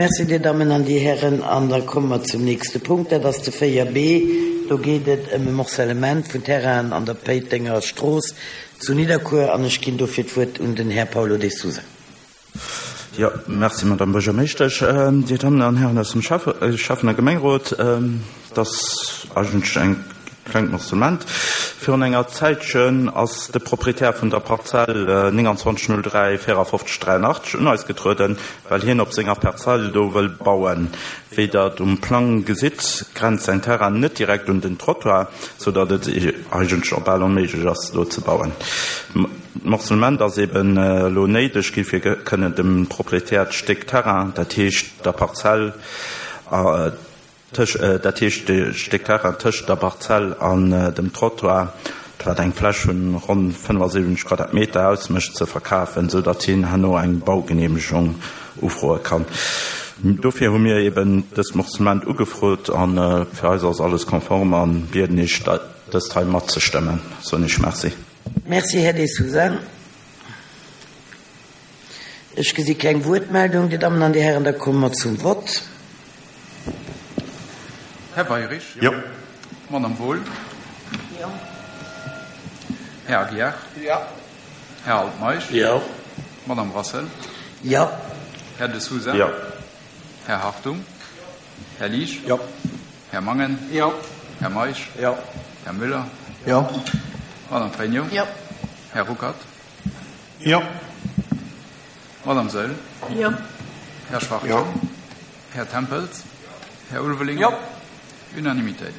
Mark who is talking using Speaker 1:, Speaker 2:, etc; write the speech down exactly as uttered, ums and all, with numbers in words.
Speaker 1: Merci, Dir Dammen an Dir Hären. An da komme mer zum nächste Punkt, dat ass de véier B. Do geet et ëm e Morcellement vun Terrainen an der Péitenger Strooss zu Nidderkuer an ech ginn dofir d'Wuert un den Här Paulo de Sousa.
Speaker 2: Jo, merci, Madame Buergermeeschtesch. Dir Dammen an Hären aus dem Schäffen a Gemengerot, et ass eigentlech eng klengt Morcellement. Virun enger Zäitchen ass de Proprietär vun der Parzell nénganzwanzeg null dräi véierafofzeg dräianachtzeg un eis getrueden, well hien op senger Parzell do wëll bauen. Wéi Der et um Plang gesitt, grenzt säin Terrain net direkt un den Trottoir, sou datt et eigentlech och bal onméiglech ass, do ze bauen. D'Morcellement ass eben elo néideg gi fir kënnen dem Proprietär d'Stéck Terrain, dat heescht der Parzell, dat heescht de Stéck Terrain tëscht der Parzell an dem Trottoir, wat eng Fläch vun ronn fënnefasiwwenzeg Quadratmeter ausmécht, ze verkafen, esou datt hien herno eng Baugeneemegung ufroe kann. Dofir hu mir eben dëst Morcellement ugefrot a fir eis ass alles konform a bieden Iech, dëst hei matzestëmmen. Soen Iech Merci.
Speaker 1: Merci, Här De Sousa. Ech gesi keng Wuertmeldung, Dir Dammen an Dir Hären, da komme mer zum Vott.
Speaker 3: Här Weirich.
Speaker 2: Jo.
Speaker 3: Madame Wohl.
Speaker 4: Jo.
Speaker 3: Här Aguiar.
Speaker 4: Jo.
Speaker 3: Här Altmeisch.
Speaker 1: Jo.
Speaker 3: Madame Brassel.
Speaker 1: Jo.
Speaker 3: Här De Sousa.
Speaker 2: Jo.
Speaker 3: Här Hartung. Här Liesch.
Speaker 4: Jo.
Speaker 3: Här Mangen.
Speaker 4: Jo.
Speaker 3: Här Meisch.
Speaker 4: Jo.
Speaker 3: Här Müller.
Speaker 4: Jo.
Speaker 3: Madame Frénio.
Speaker 4: Jo.
Speaker 3: Här Ruckert.
Speaker 4: Jo.
Speaker 3: Madame Saeul.
Speaker 4: Jo.
Speaker 3: Här Schwachtgen.
Speaker 4: Jo.
Speaker 3: Här Tempels. Här Ulveling.
Speaker 4: Jo.
Speaker 3: Unanimitéit.